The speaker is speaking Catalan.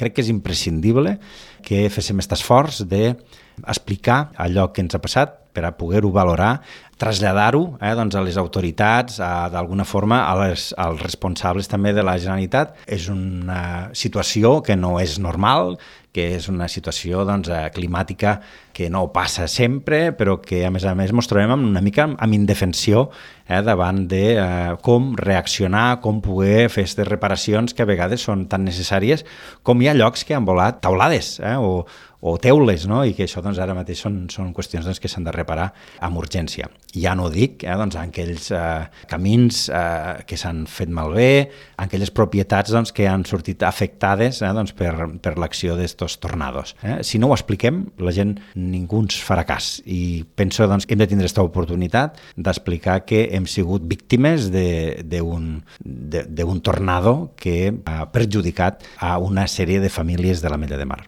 crec que és imprescindible que féssim aquest esforç d'explicar allò que ens ha passat per a poder-ho valorar, traslladar-ho doncs a les autoritats, d'alguna forma als responsables també de la Generalitat. És una situació que no és normal, que és una situació climàtica que no passa sempre, però que a més ens trobem una mica amb indefensió davant de com reaccionar, com poder fer aquestes reparacions que a vegades són tan necessàries com hi ha llocs que han volat taulades o teules, no? I que això ara mateix són qüestions que s'han de reparar amb urgència. Ja no dic en aquells camins que s'han fet malbé, en aquelles propietats que han sortit afectades per l'acció d'estos tornados. Si no ho expliquem, la gent ningú ens farà cas, i penso que hem de tindre aquesta oportunitat d'explicar que hem sigut víctimes d'un tornado que ha perjudicat a una sèrie de famílies de l'Ametlla de Mar.